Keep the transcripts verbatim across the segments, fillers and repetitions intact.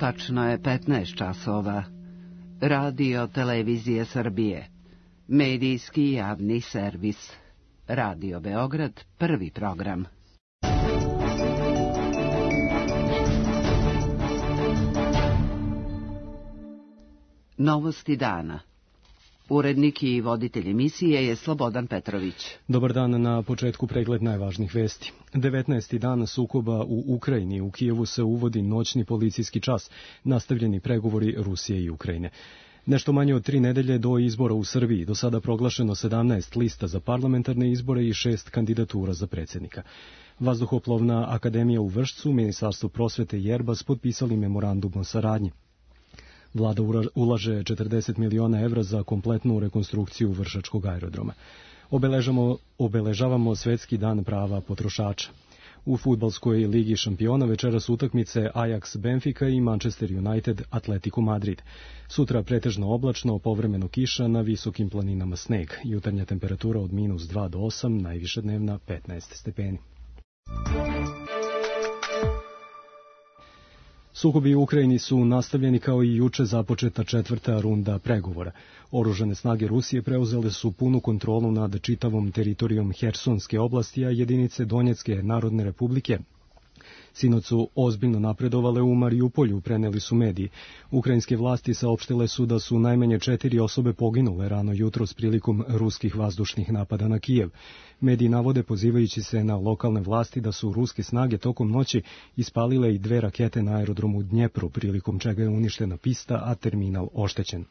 Tačno je petnaest časova. Radio Televizije Srbije. Medijski javni servis. Radio Beograd, prvi program. Novosti dana. Urednik i voditelj emisije je Slobodan Petrović. Dobar dan, na početku pregled najvažnijih vesti. devetnaesti dan sukoba u Ukrajini. U Kijevu se uvodi noćni policijski čas, nastavljeni pregovori Rusije i Ukrajine. Nešto manje od tri nedelje do izbora u Srbiji, do sada proglašeno sedamnaest lista za parlamentarne izbore i šest kandidatura za predsjednika. Vazduhoplovna akademija u Vršcu, Ministarstvo prosvete i Erbas potpisali memorandum o saradnji. Vlada ulaže četrdeset miliona evra za kompletnu rekonstrukciju Vršačkog aerodroma. Obeležamo, obeležavamo Svetski dan prava potrošača. U fudbalskoj ligi šampiona večeras utakmice Ajax Benfica i Manchester United Atletico Madrid. Sutra pretežno oblačno, povremeno kiša, na visokim planinama sneg. Jutarnja temperatura od minus dva do osam, najviša dnevna petnaest stepeni. Sukobi u Ukrajini su nastavljeni kao i juče započeta četvrta runda pregovora. Oružane snage Rusije preuzele su punu kontrolu nad čitavom teritorijom Hersonske oblasti, a jedinice Donjecke Narodne republike sinoć su ozbiljno napredovale u Mariupolju, preneli su mediji. Ukrajinske vlasti saopštile su da su najmanje četiri osobe poginule rano jutros prilikom ruskih vazdušnih napada na Kijev. Mediji navode, pozivajući se na lokalne vlasti, da su ruske snage tokom noći ispalile i dve rakete na aerodromu Dnjepru, prilikom čega je uništena pista, a terminal oštećen.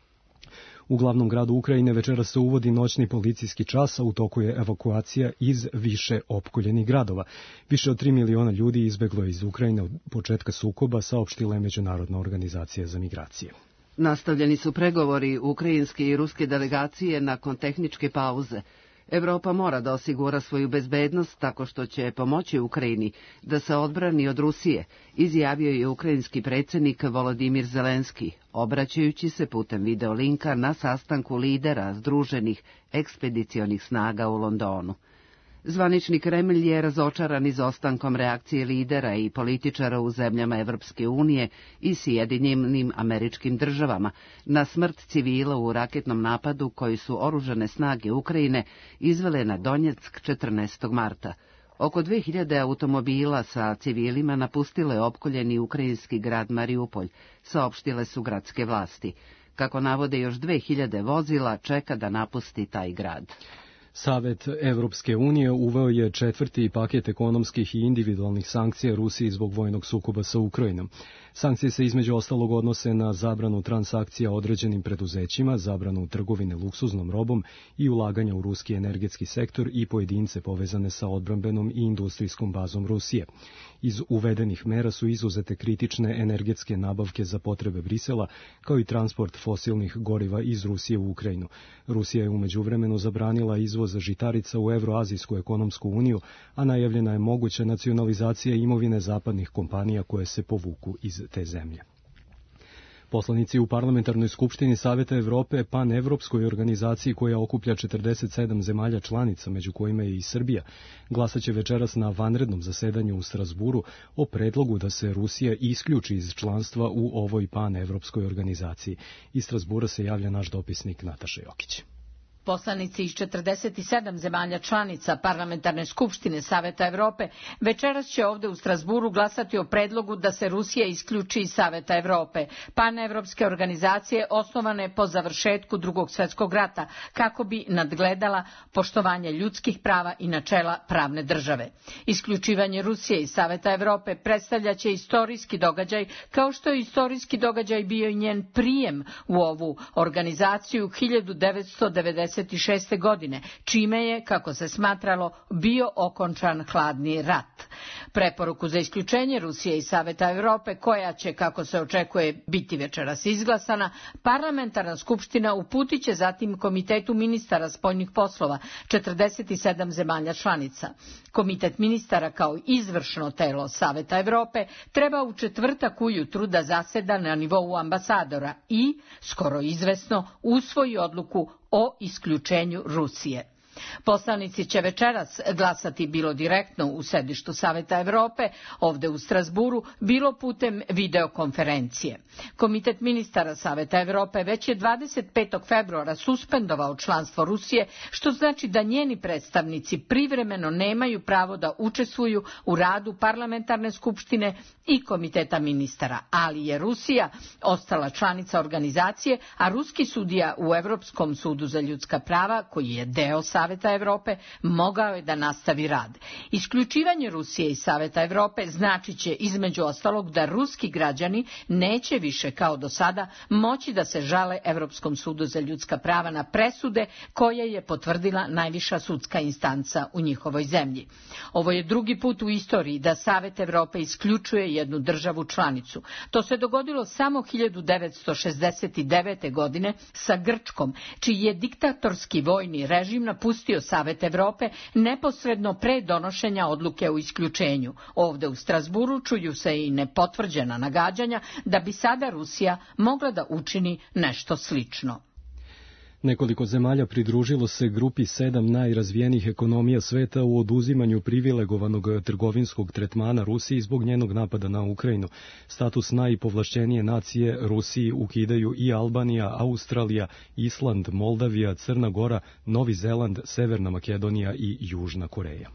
U glavnom gradu Ukrajine večeras se uvodi noćni policijski čas, a u toku je evakuacija iz više opkoljenih gradova. Više od tri miliona ljudi izbeglo je iz Ukrajine od početka sukoba, saopštila je Međunarodna organizacija za migracije. Nastavljeni su pregovori ukrajinske i ruske delegacije nakon tehničke pauze. Evropa mora da osigura svoju bezbednost tako što će pomoći Ukrajini da se odbrani od Rusije, izjavio je ukrajinski predsjednik Volodimir Zelenski, obraćajući se putem videolinka na sastanku lidera Združenih ekspedicionih snaga u Londonu. Zvanični Kremlj je razočaran izostankom reakcije lidera i političara u zemljama Evropske unije i Sjedinjenim Američkim Državama na smrt civila u raketnom napadu koji su oružane snage Ukrajine izvele na Donjeck četrnaestog marta. Oko dve hiljade automobila sa civilima napustilo je opkoljeni ukrajinski grad Mariupolj, saopštile su gradske vlasti. Kako navode, još dve hiljade vozila čeka da napusti taj grad. Savet Evropske unije uveo je četvrti paket ekonomskih i individualnih sankcija Rusiji zbog vojnog sukoba sa Ukrajinom. Sankcije se između ostalog odnose na zabranu transakcija određenim preduzećima, zabranu trgovine luksuznom robom i ulaganja u ruski energetski sektor i pojedince povezane sa odbrambenom i industrijskom bazom Rusije. Iz uvedenih mera su izuzete kritične energetske nabavke za potrebe Brisela, kao i transport fosilnih goriva iz Rusije u Ukrajinu. Rusija je u međuvremenu zabranila izvoz žitarica u Evroazijsku ekonomsku uniju, a najavljena je moguća nacionalizacija imovine zapadnih kompanija koje se povuku iz te zemlje. Poslanici u Parlamentarnoj skupštini Saveta Evrope, panevropskoj organizaciji koja okuplja četrdeset sedam zemalja članica, među kojima je i Srbija, glasaće večeras na vanrednom zasedanju u Strasburu o predlogu da se Rusija isključi iz članstva u ovoj panevropskoj organizaciji. Iz Strasbura se javlja naš dopisnik Nataša Jokić. Poslanici iz četrdeset sedam zemalja članica Parlamentarne skupštine Saveta Evrope večeras će ovde u Strasburu glasati o predlogu da se Rusija isključi iz Saveta Evrope, panevropske organizacije osnovane po završetku Drugog svjetskog rata, kako bi nadgledala poštovanje ljudskih prava i načela pravne države. Isključivanje Rusije iz Saveta Evrope predstavljaće istorijski događaj, kao što je istorijski događaj bio i njen prijem u ovu organizaciju hiljadu devetsto devedeset šeste. godine, čime je, kako se smatralo, bio okončan hladni rat. Preporuku za isključenje Rusije iz Saveta Evrope, koja će, kako se očekuje, biti večeras izglasana, Parlamentarna skupština uputit će zatim Komitetu ministara spoljnih poslova četrdeset sedam zemalja članica. Komitet ministara kao izvršno telo Saveta Evrope treba u četvrtak ujutru da zaseda na nivou ambasadora i, skoro izvesno, usvoji odluku o isključenju Rusije. Poslanici će večeras glasati bilo direktno u sedištu Saveta Evrope, ovde u Strasburu, bilo putem videokonferencije. Komitet ministara Saveta Evrope već je dvadeset petog februara suspendovao članstvo Rusije, što znači da njeni predstavnici privremeno nemaju pravo da učestvuju u radu parlamentarne skupštine i komiteta ministara, ali je Rusija ostala članica organizacije, a ruski sudija u Evropskom sudu za ljudska prava, koji je deo Saveta Evrope, mogao je da nastavi rad. Isključivanje Rusije iz Saveta Evrope znači će između ostalog da ruski građani neće više kao do sada moći da se žale Evropskom sudu za ljudska prava na presude koje je potvrdila najviša sudska instanca u njihovoj zemlji. Ovo je drugi put u istoriji da Savet Evrope isključuje jednu državu članicu. To se dogodilo samo hiljadu devetsto šezdeset devete. godine sa Grčkom, čiji je diktatorski vojni režim napustio Savet Evrope neposredno pre donošenja odluke o isključenju. Ovde u Strasburu čuju se i nepotvrđena nagađanja da bi sada Rusija mogla da učini nešto slično. Nekoliko zemalja pridružilo se grupi sedam najrazvijenijih ekonomija sveta u oduzimanju privilegovanog trgovinskog tretmana Rusiji zbog njenog napada na Ukrajinu. Status najpovlašćenije nacije Rusiji ukidaju i Albanija, Australija, Island, Moldavija, Crna Gora, Novi Zeland, Severna Makedonija i Južna Koreja.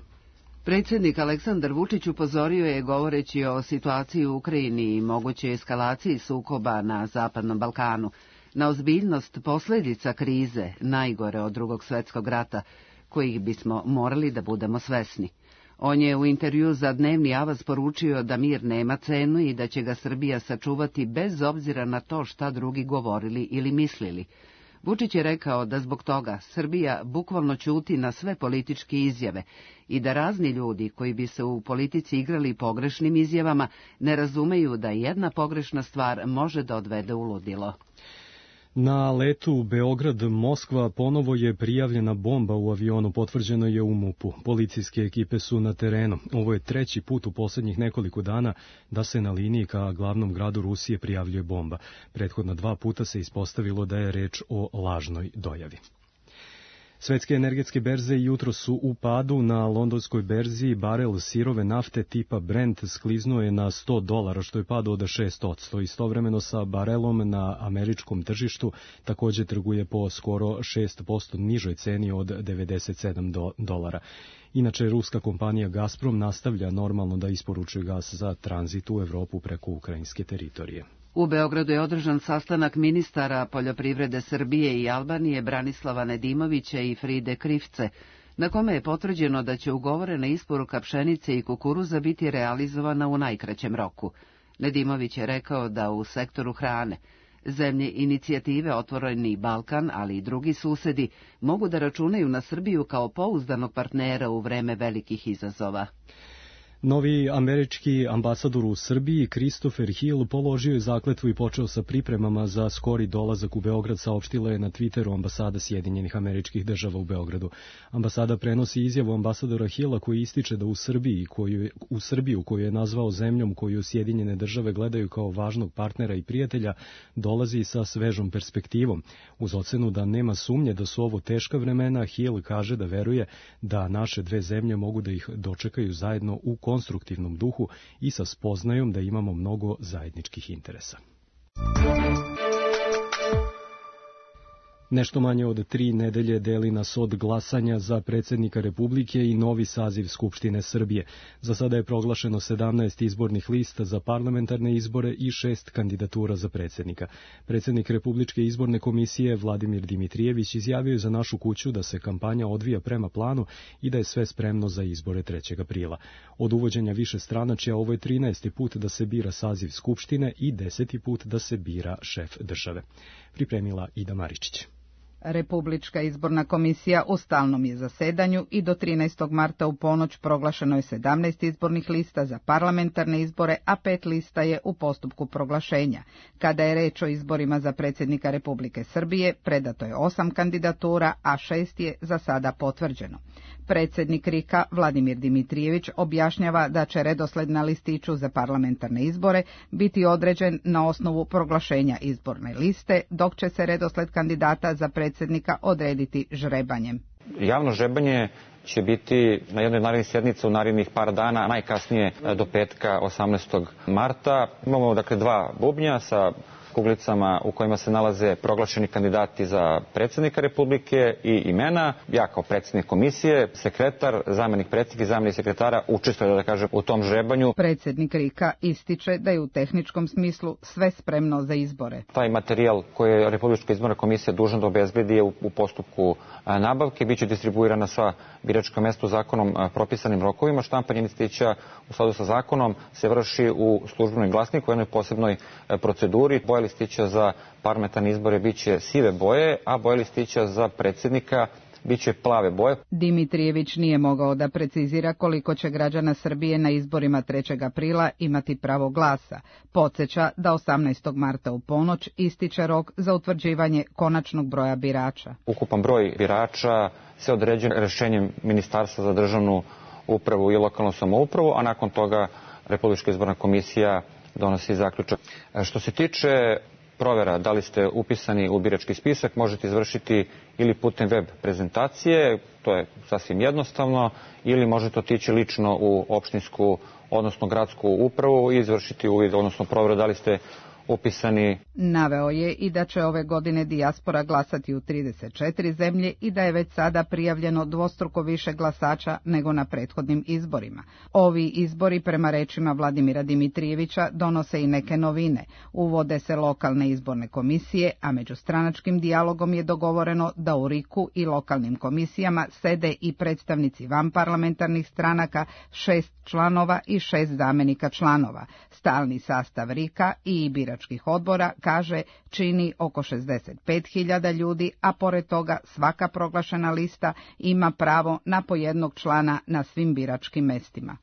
Predsjednik Aleksandar Vučić upozorio je, govoreći o situaciji u Ukrajini i mogućoj eskalaciji sukoba na Zapadnom Balkanu, na ozbiljnost posljedica krize, najgore od drugog svjetskog rata, kojih bismo morali da budemo svesni. On je u intervju za Dnevni avaz poručio da mir nema cenu i da će ga Srbija sačuvati bez obzira na to šta drugi govorili ili mislili. Vučić je rekao da zbog toga Srbija bukvalno ćuti na sve političke izjave i da razni ljudi koji bi se u politici igrali pogrešnim izjavama ne razumeju da jedna pogrešna stvar može da odvede u ludilo. Na letu Beograd-Moskva ponovo je prijavljena bomba u avionu, potvrđeno je u MUP-u. Policijske ekipe su na terenu. Ovo je treći put u posljednjih nekoliko dana da se na liniji ka glavnom gradu Rusije prijavljuje bomba. Prethodna dva puta se ispostavilo da je reč o lažnoj dojavi. Svetske energetske berze jutro su u padu. Na londonskoj berzi barel sirove nafte tipa Brent skliznuo je na sto dolara, što je pad od šest posto. Istovremeno sa barelom na američkom tržištu također trguje po skoro šest posto nižoj ceni od devedeset sedam dolara. Inače, ruska kompanija Gazprom nastavlja normalno da isporučuje gas za tranzit u Evropu preko ukrajinske teritorije. U Beogradu je održan sastanak ministara poljoprivrede Srbije i Albanije Branislava Nedimovića i Fride Krivce, na kome je potvrđeno da će ugovorena isporuka pšenice i kukuruza biti realizovana u najkraćem roku. Nedimović je rekao da u sektoru hrane zemlje inicijative Otvoreni Balkan, ali i drugi susedi, mogu da računaju na Srbiju kao pouzdanog partnera u vreme velikih izazova. Novi američki ambasador u Srbiji, Christopher Hill, položio je zakletvu i počeo sa pripremama za skori dolazak u Beograd, saopštila je na Twitteru ambasada Sjedinjenih Američkih Država u Beogradu. Ambasada prenosi izjavu ambasadora Hilla koji ističe da u Srbiji, koju, u Srbiju, koju je nazvao zemljom koju Sjedinjene Države gledaju kao važnog partnera i prijatelja, dolazi sa svežom perspektivom. Uz ocenu da nema sumnje da su ovo teška vremena, Hill kaže da veruje da naše dve zemlje mogu da ih dočekaju zajedno u konstruktivnom duhu i sa spoznajom da imamo mnogo zajedničkih interesa. Nešto manje od tri nedelje deli nas od glasanja za predsjednika Republike i novi saziv Skupštine Srbije. Za sada je proglašeno sedamnaest izbornih lista za parlamentarne izbore i šest kandidatura za predsjednika. Predsjednik Republičke izborne komisije Vladimir Dimitrijević izjavio je za Našu kuću da se kampanja odvija prema planu i da je sve spremno za izbore trećeg aprila. Od uvođenja više stranačja ovo je trinaesti put da se bira saziv Skupštine i deseti put da se bira šef države. Pripremila Ida Maričić. Republička izborna komisija u stalnom je zasedanju i do trinaestog marta u ponoć proglašeno je sedamnaest izbornih lista za parlamentarne izbore, a pet lista je u postupku proglašenja. Kada je reč o izborima za predsjednika Republike Srbije, predato je osam kandidatura, a šest je za sada potvrđeno. Predsjednik RIK-a Vladimir Dimitrijević objašnjava da će redosled na listiću za parlamentarne izbore biti određen na osnovu proglašenja izborne liste, dok će se redosled kandidata za predsjednika odrediti žrebanjem. Javno žrebanje će biti na jednoj narednih sjednica u narednih par dana, najkasnije do petka osamnaestog marta. Imamo dakle dva bubnja sa kuglicama u kojima se nalaze proglašeni kandidati za predsjednika Republike i imena. Ja kao predsjednik komisije, sekretar, zamenik predsjednika i zamenik sekretara učestvuje, da kažem, u tom žrebanju. Predsjednik RIK-a ističe da je u tehničkom smislu sve spremno za izbore. Taj materijal koji je Republička izborna komisija dužna da obezbedi je u, u postupku nabavke. Biće distribuirana sva biračka mesta u zakonom propisanim rokovima. Štampanje listića u skladu sa zakonom se vrši u službenom glasniku u jednoj posebnoj proceduri. Boja listića za parlamentarne izbore biće sive boje, a boja listića za predsjednika biće plave boje. Dimitrijević nije mogao da precizira koliko će građana Srbije na izborima trećeg aprila imati pravo glasa. Podsjeća da osamnaestog marta u ponoć ističe rok za utvrđivanje konačnog broja birača. Ukupan broj birača se određuje rješenjem Ministarstva za državnu upravu i lokalnu samoupravu, a nakon toga Republička izborna komisija donosi zaključak. Što se tiče provjera da li ste upisani u birački spisak, možete izvršiti ili putem web prezentacije, to je sasvim jednostavno, ili možete otići lično u opštinsku, odnosno gradsku upravu i izvršiti uvid, odnosno provjeru da li ste upisani. Naveo je i da će ove godine dijaspora glasati u trideset četiri zemlje i da je već sada prijavljeno dvostruko više glasača nego na prethodnim izborima. Ovi izbori, prema rečima Vladimira Dimitrijevića, donose i neke novine. Uvode se lokalne izborne komisije, a međustranačkim dijalogom je dogovoreno da u RIK-u i lokalnim komisijama sede i predstavnici vanparlamentarnih stranaka, šest članova i šest zamenika članova. Stalni sastav RIK-a i biračkih odbora, kaže, čini oko šezdeset pet hiljada ljudi, a pored toga svaka proglašena lista ima pravo na po jednog člana na svim biračkim mestima.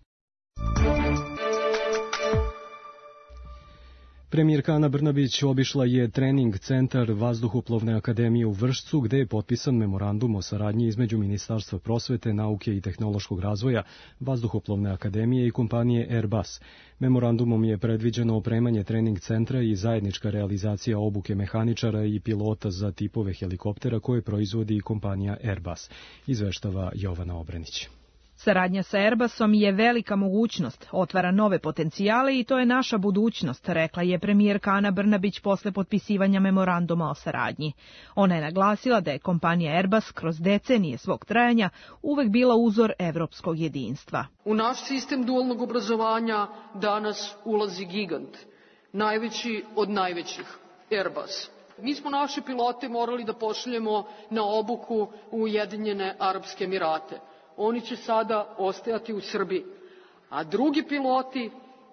Premijerka Ana Brnabić obišla je trening centar Vazduhoplovne akademije u Vršcu, gde je potpisan memorandum o saradnji između Ministarstva prosvete, nauke i tehnološkog razvoja, Vazduhoplovne akademije i kompanije Airbus. Memorandumom je predviđeno opremanje trening centra i zajednička realizacija obuke mehaničara i pilota za tipove helikoptera koje proizvodi kompanija Airbus, izveštava Jovana Obrenić. Saradnja sa Airbusom je velika mogućnost, otvara nove potencijale i to je naša budućnost, rekla je premijerka Ana Brnabić posle potpisivanja memoranduma o saradnji. Ona je naglasila da je kompanija Airbus kroz decenije svog trajanja uvek bila uzor evropskog jedinstva. U naš sistem dualnog obrazovanja danas ulazi gigant, najveći od najvećih, Airbus. Mi smo naše pilote morali da pošaljemo na obuku u Ujedinjene Arapske Emirate. Oni će sada ostajati u Srbiji, a drugi piloti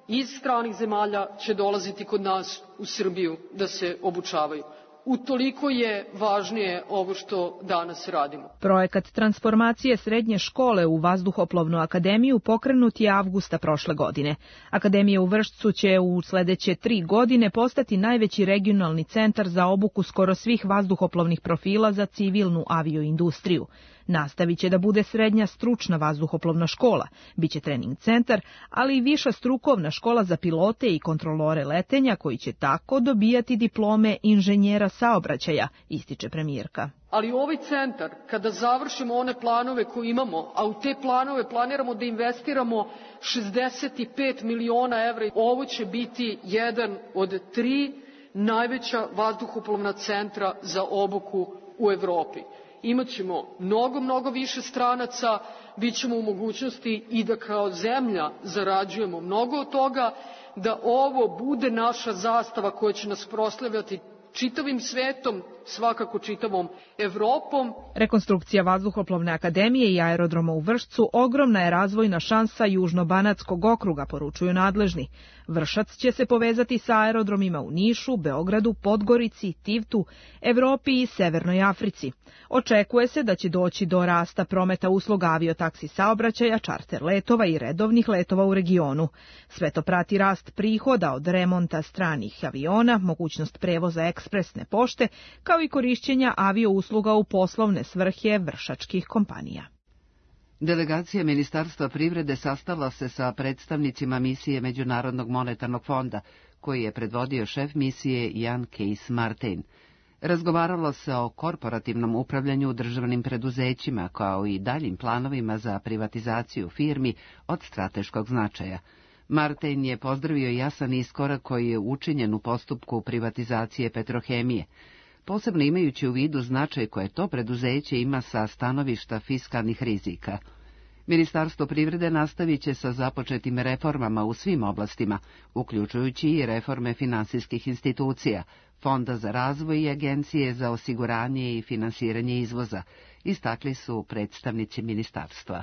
iz stranih zemalja će dolaziti kod nas u Srbiju da se obučavaju. Utoliko je važnije ovo što danas radimo. Projekat transformacije srednje škole u Vazduhoplovnu akademiju pokrenut je avgusta prošle godine. Akademija u Vršcu će u sledeće tri godine postati najveći regionalni centar za obuku skoro svih vazduhoplovnih profila za civilnu avioindustriju. Nastavit će da bude srednja stručna vazduhoplovna škola, biće trening centar, ali i viša strukovna škola za pilote i kontrolore letenja koji će tako dobijati diplome inženjera saobraćaja, ističe premijerka. Ali ovaj centar, kada završimo one planove koje imamo, a u te planove planiramo da investiramo šezdeset pet miliona evra, ovo će biti jedan od tri najveća vazduhoplovna centra za obuku u Evropi. Imaćemo mnogo, mnogo više stranaca, bit ćemo u mogućnosti i da kao zemlja zarađujemo mnogo od toga, da ovo bude naša zastava koja će nas proslavljati čitavim svetom, svakako čitavom Evropom. Rekonstrukcija Vazduhoplovne akademije i aerodroma u Vršcu ogromna je razvojna šansa Južnobanatskog okruga, poručuju nadležni. Vršac će se povezati sa aerodromima u Nišu, Beogradu, Podgorici, Tivtu, Evropi i Severnoj Africi. Očekuje se da će doći do rasta prometa usluga aviotaksi saobraćaja, čarter letova i redovnih letova u regionu. Sve to prati rast prihoda od remonta stranih aviona, mogućnost prevoza ekspresne pošte, kao i korišćenja aviousluga u poslovne svrhe vršačkih kompanija. Delegacija Ministarstva privrede sastala se sa predstavnicima misije Međunarodnog monetarnog fonda, koji je predvodio šef misije Jan Kees Martin. Razgovaralo se o korporativnom upravljanju državnim preduzećima, kao i daljim planovima za privatizaciju firmi od strateškog značaja. Martin je pozdravio jasan iskorak koji je učinjen u postupku privatizacije Petrohemije, posebno imajući u vidu značaj koje to preduzeće ima sa stanovišta fiskalnih rizika. Ministarstvo privrede nastavit će sa započetim reformama u svim oblastima, uključujući i reforme finansijskih institucija, Fonda za razvoj i Agencije za osiguranje i finansiranje izvoza, istakli su predstavnici ministarstva.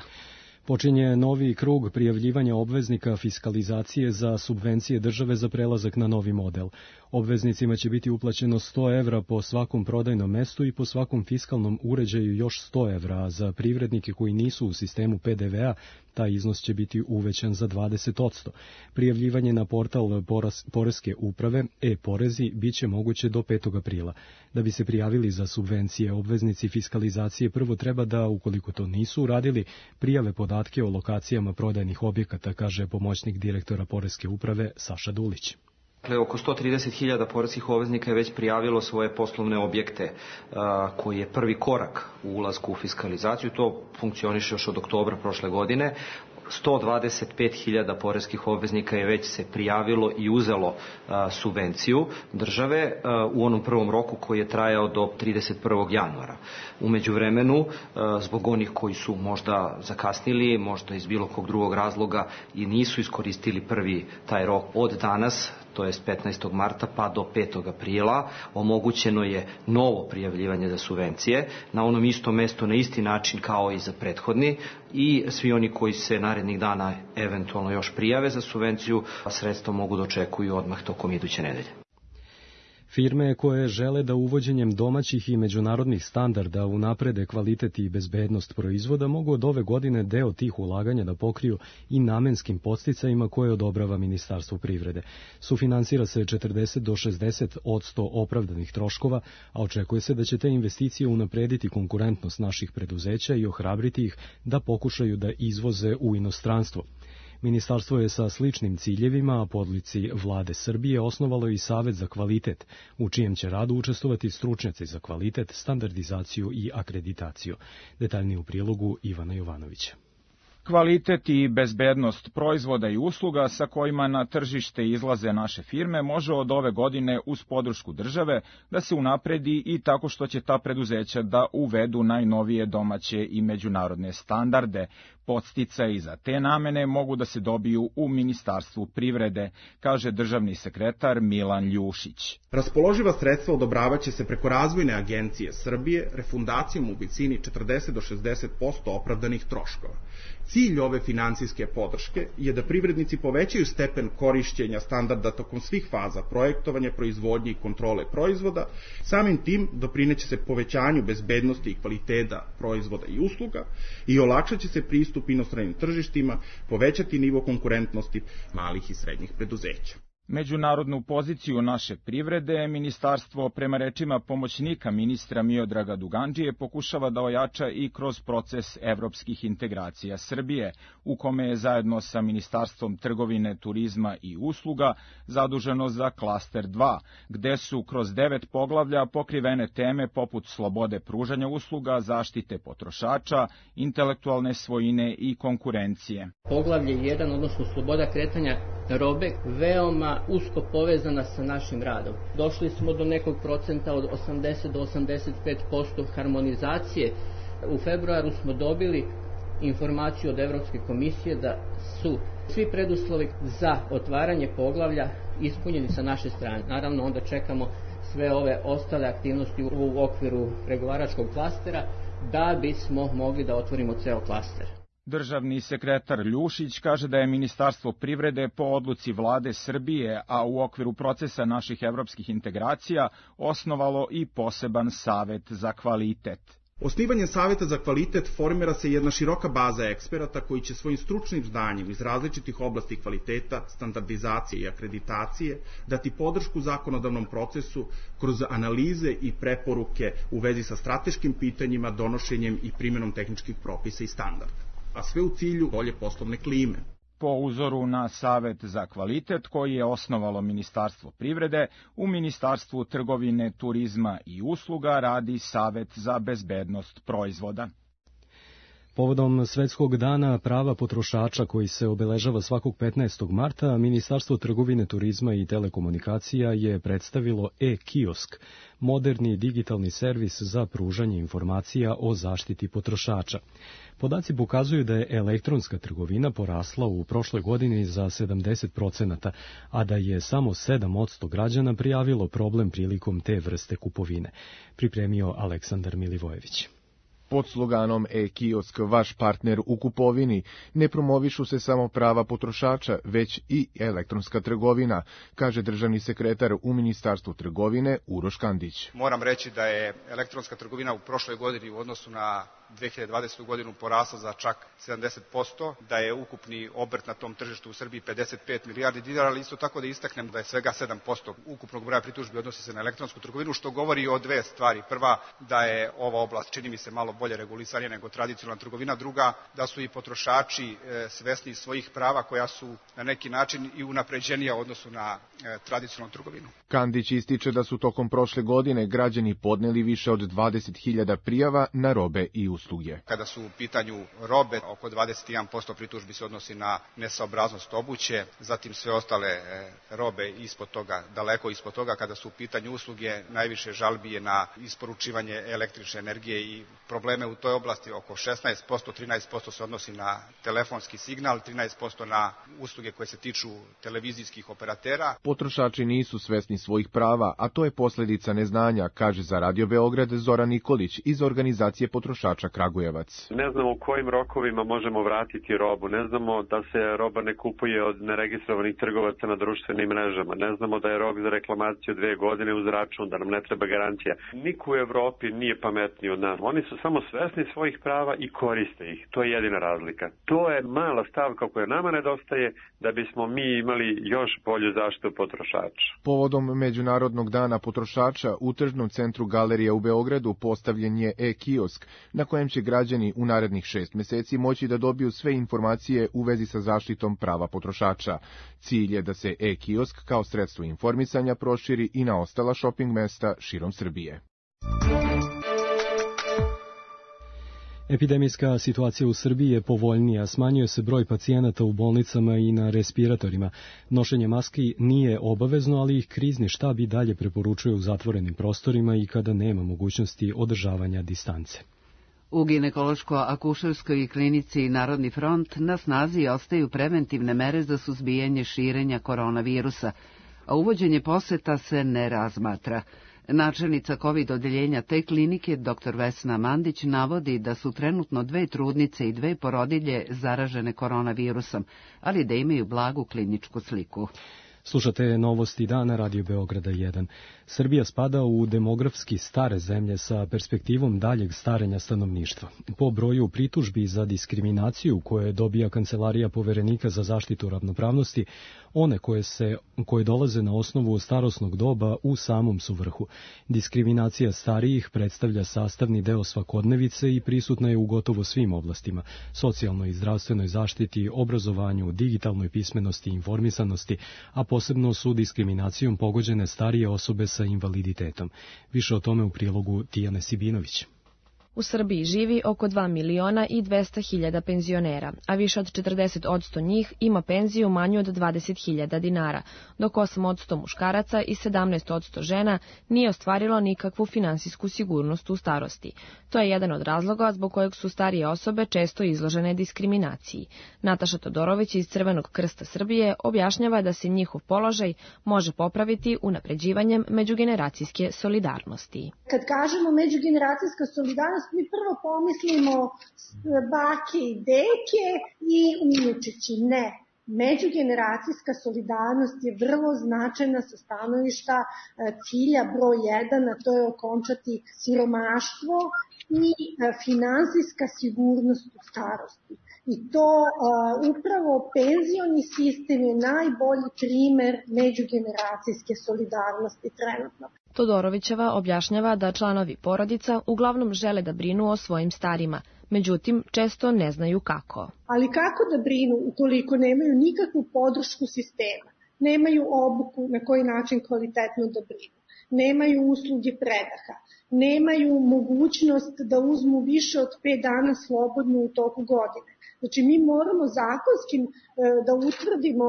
Počinje novi krug prijavljivanja obveznika fiskalizacije za subvencije države za prelazak na novi model. Obveznicima će biti uplaćeno sto evra po svakom prodajnom mestu i po svakom fiskalnom uređaju još sto evra, a za privrednike koji nisu u sistemu P D V A taj iznos će biti uvećan za dvadeset posto. Prijavljivanje na portal Poreske uprave e-porezi biće moguće do petog aprila. Da bi se prijavili za subvencije, obveznici fiskalizacije prvo treba da, ukoliko to nisu uradili, prijave podatke o lokacijama prodajnih objekata, kaže pomoćnik direktora Poreske uprave Saša Dulić. Dakle, oko sto trideset hiljada poreskih obveznika je već prijavilo svoje poslovne objekte, a, koji je prvi korak u ulasku u fiskalizaciju. To funkcioniše još od oktobra prošle godine. sto dvadeset pet hiljada poreskih obveznika je već se prijavilo i uzelo a, subvenciju države a, u onom prvom roku koji je trajao do trideset prvog januara. U međuvremenu, a, zbog onih koji su možda zakasnili, možda iz bilo kog drugog razloga i nisu iskoristili prvi taj rok, od danas, to jest petnaestog marta pa do petog aprila, omogućeno je novo prijavljivanje za subvencije na onom istom mestu na isti način kao i za prethodni, i svi oni koji se narednih dana eventualno još prijave za subvenciju, sredstva mogu da očekuju odmah tokom iduće nedelje. Firme koje žele da uvođenjem domaćih i međunarodnih standarda unaprede kvalitet i bezbednost proizvoda mogu od ove godine deo tih ulaganja da pokriju i namenskim podsticajima koje odobrava Ministarstvo privrede. Sufinansira se četrdeset do šezdeset posto opravdanih troškova, a očekuje se da će te investicije unaprediti konkurentnost naših preduzeća i ohrabriti ih da pokušaju da izvoze u inostranstvo. Ministarstvo je sa sličnim ciljevima, a po odluci Vlade Srbije, osnovalo i Savet za kvalitet, u čijem će radu učestvovati stručnjaci za kvalitet, standardizaciju i akreditaciju. Detaljnije u prilogu Ivana Jovanovića. Kvalitet i bezbednost proizvoda i usluga sa kojima na tržište izlaze naše firme može od ove godine uz podršku države da se unapredi i tako što će ta preduzeća da uvedu najnovije domaće i međunarodne standarde. Podsticaji za te namene mogu da se dobiju u Ministarstvu privrede, kaže državni sekretar Milan Ljušić. Raspoloživa sredstva odobravaće se preko Razvojne agencije Srbije refundacijom u visini četrdeset do šezdeset posto opravdanih troškova. Cilj ove finansijske podrške je da privrednici povećaju stepen korišćenja standarda tokom svih faza projektovanja, proizvodnje i kontrole proizvoda. Samim tim doprineće se povećanju bezbednosti i kvaliteta proizvoda i usluga i olakšaće se pristup inostranim tržištima, povećati nivo konkurentnosti malih i srednjih preduzeća. Međunarodnu poziciju naše privrede ministarstvo, prema rečima pomoćnika ministra Miodraga Dugandžije, pokušava da ojača i kroz proces evropskih integracija Srbije, u kome je zajedno sa Ministarstvom trgovine, turizma i usluga zaduženo za klaster dva, gde su kroz devet poglavlja pokrivene teme poput slobode pružanja usluga, zaštite potrošača, intelektualne svojine i konkurencije. Poglavlje jedan, odnosno sloboda kretanja robe, veoma usko povezana sa našim radom. Došli smo do nekog procenta od osamdeset do osamdeset pet posto harmonizacije. U februaru smo dobili informaciju od Evropske komisije da su svi preduslovi za otvaranje poglavlja ispunjeni sa naše strane. Naravno, onda čekamo sve ove ostale aktivnosti u okviru pregovaračkog klastera da bismo mogli da otvorimo ceo klaster. Državni sekretar Ljušić kaže da je Ministarstvo privrede po odluci Vlade Srbije, a u okviru procesa naših evropskih integracija, osnovalo i poseban savet za kvalitet. Osnivanjem Saveta za kvalitet formira se jedna široka baza eksperata koji će svojim stručnim znanjem iz različitih oblasti kvaliteta, standardizacije i akreditacije dati podršku zakonodavnom procesu kroz analize i preporuke u vezi sa strateškim pitanjima, donošenjem i primjenom tehničkih propisa i standarda, a sve u cilju bolje poslovne klime. Po uzoru na Savet za kvalitet koji je osnovalo Ministarstvo privrede, u Ministarstvu trgovine, turizma i usluga radi Savet za bezbednost proizvoda. Povodom Svetskog dana prava potrošača koji se obeležava svakog petnaestog marta, Ministarstvo trgovine, turizma i telekomunikacija je predstavilo e-kiosk, moderni digitalni servis za pružanje informacija o zaštiti potrošača. Podaci pokazuju da je elektronska trgovina porasla u prošloj godini za sedamdeset procenata, a da je samo sedam posto građana prijavilo problem prilikom te vrste kupovine, pripremio Aleksandar Milivojević. Pod sloganom e-kiosk, vaš partner u kupovini, ne promovišu se samo prava potrošača, već i elektronska trgovina, kaže državni sekretar u Ministarstvu trgovine Uroš Kandić. Moram reći da je elektronska trgovina u prošloj godini u odnosu na dve hiljade dvadesetu. godinu porasla za čak sedamdeset posto, da je ukupni obrt na tom tržištu u Srbiji pedeset pet milijardi dinara, ali isto tako da istaknem da je svega sedam posto ukupnog broja pritužbi odnosi se na elektronsku trgovinu, što govori o dve stvari. Prva, da je ova oblast, čini mi se, malo bolje regulisanja nego tradicionalna trgovina. Druga, da su i potrošači svesni svojih prava koja su na neki način i unapređenija u odnosu na tradicionalnu trgovinu. Kandić ističe da su tokom prošle godine građani podneli više od dvadeset hiljada prijava na robe i usluge. Kada su u pitanju robe, oko dvadeset jedan posto pritužbi se odnosi na nesaobraznost obuće, zatim sve ostale robe ispod toga, daleko ispod toga. Kada su u pitanju usluge, najviše žalbi je na isporučivanje električne energije i probleme u toj oblasti. Oko šesnaest posto, trinaest posto se odnosi na telefonski signal, trinaest posto na usluge koje se tiču televizijskih operatera. Potrošači nisu svesni svojih prava, a to je posledica neznanja, kaže za Radio Beograd Zoran Nikolić iz organizacije potrošača Kragujevac. Ne znamo u kojim rokovima možemo vratiti robu, ne znamo da se roba ne kupuje od neregistrovanih trgovaca na društvenim mrežama, ne znamo da je rok za reklamaciju dve godine uz račun, da nam ne treba garancija. Niko u Evropi nije pametniji od nas. Oni su samo svesni svojih prava i koriste ih. To je jedina razlika. To je mala stavka koja nama nedostaje da bismo mi imali još bolju zaštitu potrošača. Povodom Međunarodnog dana potrošača u tržnom centru Galerija u Beogradu postavljen je e-kiosk na kojem će građani u narednih šest meseci moći da dobiju sve informacije u vezi sa zaštitom prava potrošača. Cilj je da se e-kiosk kao sredstvo informisanja proširi i na ostala šoping mesta širom Srbije. Epidemijska situacija u Srbiji je povoljnija, smanjuje se broj pacijenata u bolnicama i na respiratorima. Nošenje maski nije obavezno, ali ih krizni štab i dalje preporučuje u zatvorenim prostorima i kada nema mogućnosti održavanja distance. U ginekološko-akušerskoj klinici Narodni front na snazi ostaju preventivne mere za suzbijanje širenja koronavirusa, a uvođenje poseta se ne razmatra. Načelnica COVID odeljenja te klinike, dr Vesna Mandić, navodi da su trenutno dve trudnice i dve porodilje zaražene koronavirusom, ali da imaju blagu kliničku sliku. Slušate novosti dana Radio Beograda jedan. Srbija spada u demografski stare zemlje sa perspektivom daljeg starenja stanovništva. Po broju pritužbi za diskriminaciju koje dobija Kancelarija Poverenika za zaštitu ravnopravnosti, one koje, se, koje dolaze na osnovu starosnog doba u samom su vrhu. Diskriminacija starijih predstavlja sastavni deo svakodnevice i prisutna je u gotovo svim oblastima: socijalnoj i zdravstvenoj zaštiti, obrazovanju, digitalnoj pismenosti i informisanosti, a posebno su diskriminacijom pogođene starije osobe sa invaliditetom. Više o tome u prilogu Tijane Sibinović. U Srbiji živi oko dva miliona i dvesta hiljada penzionera, a više od četrdeset posto njih ima penziju manju od dvadeset hiljada dinara, dok osam posto muškaraca i sedamnaest posto žena nije ostvarilo nikakvu finansijsku sigurnost u starosti. To je jedan od razloga zbog kojeg su starije osobe često izložene diskriminaciji. Nataša Todorović iz Crvenog krsta Srbije objašnjava da se njihov položaj može popraviti unapređivanjem međugeneracijske solidarnosti. Kad kažemo međugeneracijska solidarnost, mi prvo pomislimo bake i deke i unučići. Ne. Međugeneracijska solidarnost je vrlo značajna sa stanovišta cilja broj jedan, a to je okončati siromaštvo i finansijska sigurnost u starosti. I to uh, upravo penzioni sistem je najbolji primer međugeneracijske solidarnosti trenutno. Todorovićeva objašnjava da članovi porodica uglavnom žele da brinu o svojim starima, Međutim, često ne znaju kako. Ali kako da brinu ukoliko nemaju nikakvu podršku sistema, nemaju obuku na koji način kvalitetno da brinu, nemaju usluge predaha, nemaju mogućnost da uzmu više od pet dana slobodno u toku godine. Znači, mi moramo zakonskim da utvrdimo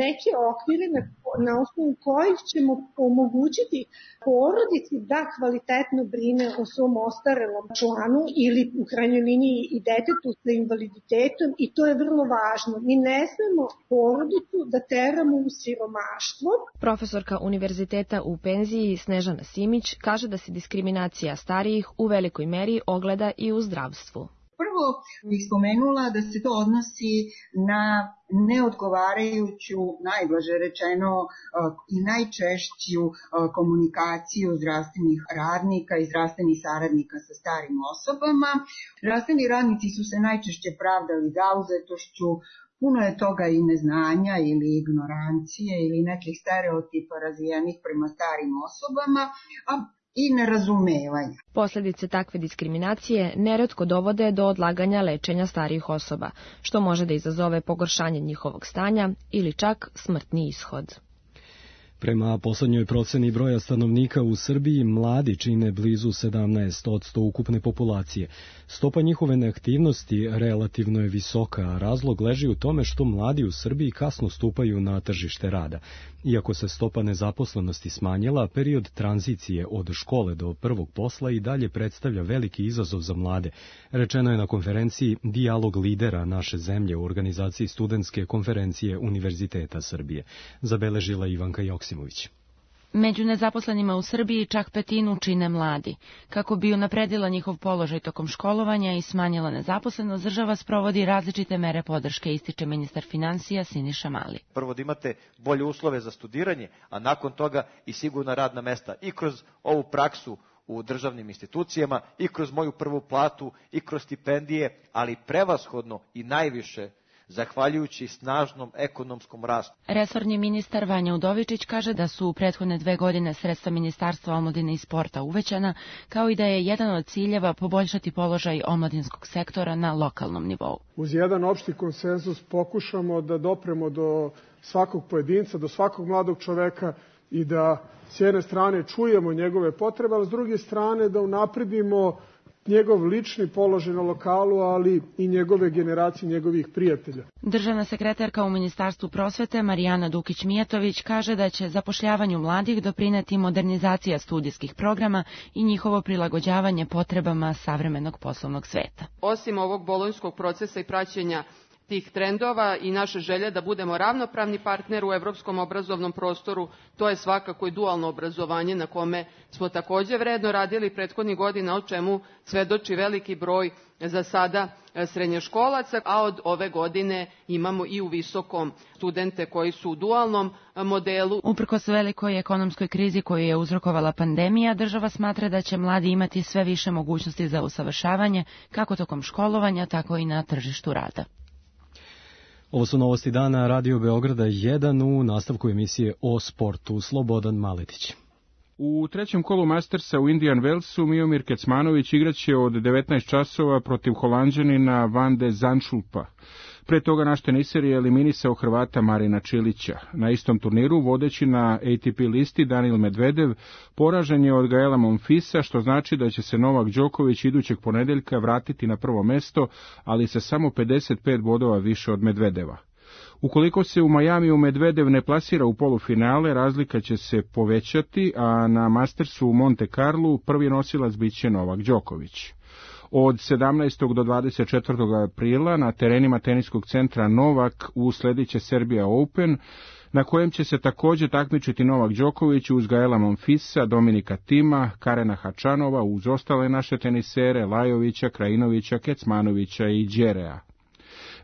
neke okvire na, na osnovu kojih ćemo omogućiti porodici da kvalitetno brine o svom ostarelom članu ili u krajnjoj liniji i detetu sa invaliditetom, i to je vrlo važno. Mi ne smemo porodicu da teramo u siromaštvo. Profesorka univerziteta u penziji Snežana Simić kaže da se diskriminacija starijih u velikoj meri ogleda i u zdravstvu. Prvo bih spomenula da se to odnosi na neodgovarajuću, najblaže rečeno, i najčešću komunikaciju zdravstvenih radnika i zdravstvenih saradnika sa starim osobama. Zdravstveni radnici su se najčešće pravdali zauzetošću, puno je toga i neznanja ili ignorancije ili nekih stereotipa razvijenih prema starim osobama, a i nerazumevanja. Posljedice takve diskriminacije neretko dovode do odlaganja lečenja starijih osoba, što može da izazove pogoršanje njihovog stanja ili čak smrtni ishod. Prema poslednjoj proceni broja stanovnika u Srbiji, mladi čine blizu sedamnaest posto ukupne populacije. Stopa njihove neaktivnosti relativno je visoka, a razlog leži u tome što mladi u Srbiji kasno stupaju na tržište rada. Iako se stopa nezaposlenosti smanjila, period tranzicije od škole do prvog posla i dalje predstavlja veliki izazov za mlade. Rečeno je na konferenciji Dijalog lidera naše zemlje u organizaciji Studentske konferencije Univerziteta Srbije. Zabeležila Ivanka Joksimović. Među nezaposlenima u Srbiji čak petinu čine mladi. Kako bi unapredila njihov položaj tokom školovanja i smanjila nezaposlenost, država sprovodi različite mere podrške, ističe ministar finansija Siniša Mali. Prvo da imate bolje uslove za studiranje, a nakon toga i sigurna radna mesta i kroz ovu praksu u državnim institucijama, i kroz moju prvu platu, i kroz stipendije, ali prevashodno i najviše zahvaljujući snažnom ekonomskom rastu. Resorni ministar Vanja Udovičić kaže da su u prethodne dve godine sredstva Ministarstva omladine i sporta uvećana, kao i da je jedan od ciljeva poboljšati položaj omladinskog sektora na lokalnom nivou. Uz jedan opšti konsenzus pokušamo da dopremo do svakog pojedinca, do svakog mladog čoveka i da s jedne strane čujemo njegove potrebe, a s druge strane da unapredimo njegov lični položaj na lokalu, ali i njegove generacije, njegovih prijatelja. Državna sekretarka u Ministarstvu prosvete Marijana Dukić-Mijatović kaže da će zapošljavanju mladih doprineti modernizacija studijskih programa i njihovo prilagođavanje potrebama savremenog poslovnog sveta. Osim ovog bolonjskog procesa i praćenja tih trendova i naše želje da budemo ravnopravni partner u evropskom obrazovnom prostoru, to je svakako i dualno obrazovanje na kome smo takođe vredno radili prethodnih godina, o čemu svedoči veliki broj za sada srednjoškolaca, a od ove godine imamo i u visokom studente koji su u dualnom modelu. Uprkos velikoj ekonomskoj krizi koju je uzrokovala pandemija, država smatra da će mladi imati sve više mogućnosti za usavršavanje, kako tokom školovanja, tako i na tržištu rada. Ovo su novosti dana Radio Beograda jedan, u nastavku emisije o sportu. Slobodan Maletić. U trećem kolu Mastersa u Indian Wellsu Miomir Kecmanović igraće od devetnaest časova protiv Holanđanina Van de Zandschulpa. Pre toga naš teniser je eliminisao Hrvata Marina Čilića. Na istom turniru, vodeći na A T P listi, Daniil Medvedev poražen je od Gaela Monfisa, što znači da će se Novak Đoković idućeg ponedeljka vratiti na prvo mesto, ali sa samo pedeset pet bodova više od Medvedeva. Ukoliko se u Majamiju Medvedev ne plasira u polufinale, razlika će se povećati, a na Mastersu u Monte Carlu prvi nosilac biće Novak Đoković. Od sedamnaestog do dvadeset četvrtog aprila na terenima teniskog centra Novak usledit će Serbia Open, na kojem će se također takmičiti Novak Đoković uz Gaela Monfisa, Dominika Tima, Karena Hačanova, uz ostale naše tenisere Lajovića, Krajinovića, Kecmanovića i Đerea.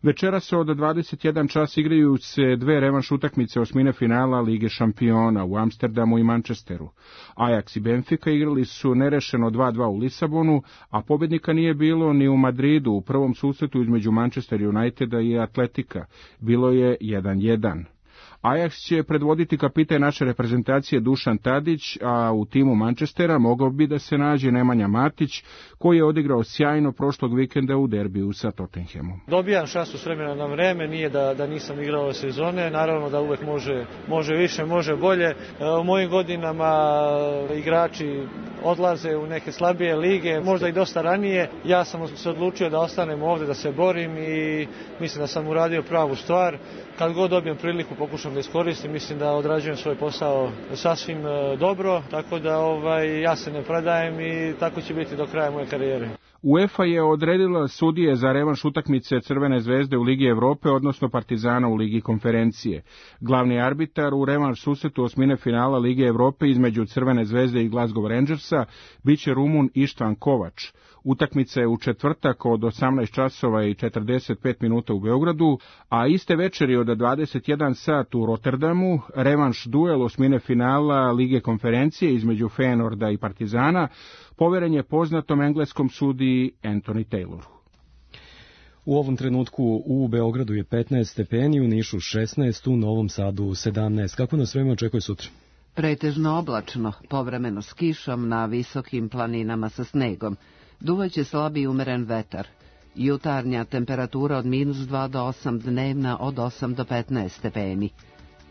Večeras od dvadeset jedan čas igraju se dve revanš utakmice osmine finala Lige šampiona u Amsterdamu i Manchesteru. Ajax i Benfica igrali su nerešeno dva dva u Lisabonu, a pobednika nije bilo ni u Madridu u prvom susretu između Manchester Uniteda i Atletika. Bilo je jedan jedan. Ajax će predvoditi kapitan naše reprezentacije Dušan Tadić, a u timu Manchestera mogao bi da se nađe Nemanja Matić, koji je odigrao sjajno prošlog vikenda u derbiju sa Tottenhamom. Dobijam šansu s vremena na vreme, nije da, da nisam igrao ove sezone, naravno da uvek može, može više, može bolje. U mojim godinama igrači odlaze u neke slabije lige, možda i dosta ranije. Ja sam se odlučio da ostanem ovde, da se borim i mislim da sam uradio pravu stvar. Kad god dobijem priliku pokušam da iskoristim, mislim da odrađujem svoj posao sasvim dobro, tako da ovaj, ja se ne predajem i tako će biti do kraja moje karijere. UEFA je odredila sudije za revanš utakmice Crvene zvezde u Ligi Evrope, odnosno Partizana u Ligi Konferencije. Glavni arbitar u revanš susretu osmine finala Lige Evrope između Crvene zvezde i Glasgow Rangersa biće Rumun Ištvan Kovač. Utakmica je u četvrtak od osamnaest časova i četrdeset pet minuta u Beogradu, a iste večeri od dvadeset jedan sat u Rotterdamu revanš duel osmine finala Lige Konferencije između Feyenoorda i Partizana poveren je poznatom engleskom sudiji Anthony Tayloru. U ovom trenutku u Beogradu je petnaest stepeni, u Nišu šesnaest, u Novom Sadu sedamnaest. Kako nas vreme očekuje sutra? Pretežno oblačno, povremeno s kišom na visokim planinama sa snegom. Duvaće slabi umeren vetar. Jutarnja temperatura od minus dva do osam, dnevna od osam do petnaest stepeni.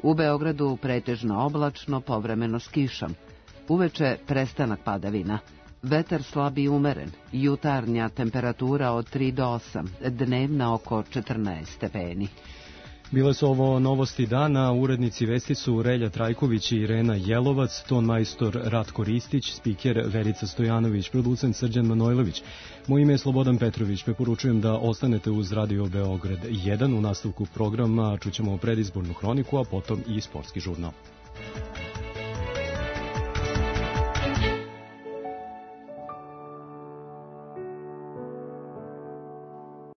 U Beogradu pretežno oblačno, povremeno s kišom. Uveče prestanak padavina. Vetar slabi umeren. Jutarnja temperatura od tri do osam, dnevna oko četrnaest stepeni. Bile su ovo novosti dana, urednici vesti su Relja Trajković i Irena Jelovac, ton majstor Ratko Ristić, spiker Verica Stojanović, producent Srđan Manojlović. Moje ime je Slobodan Petrović, preporučujem da ostanete uz Radio Beograd jedan. U nastavku programa čućemo predizbornu hroniku, a potom i sportski žurnal.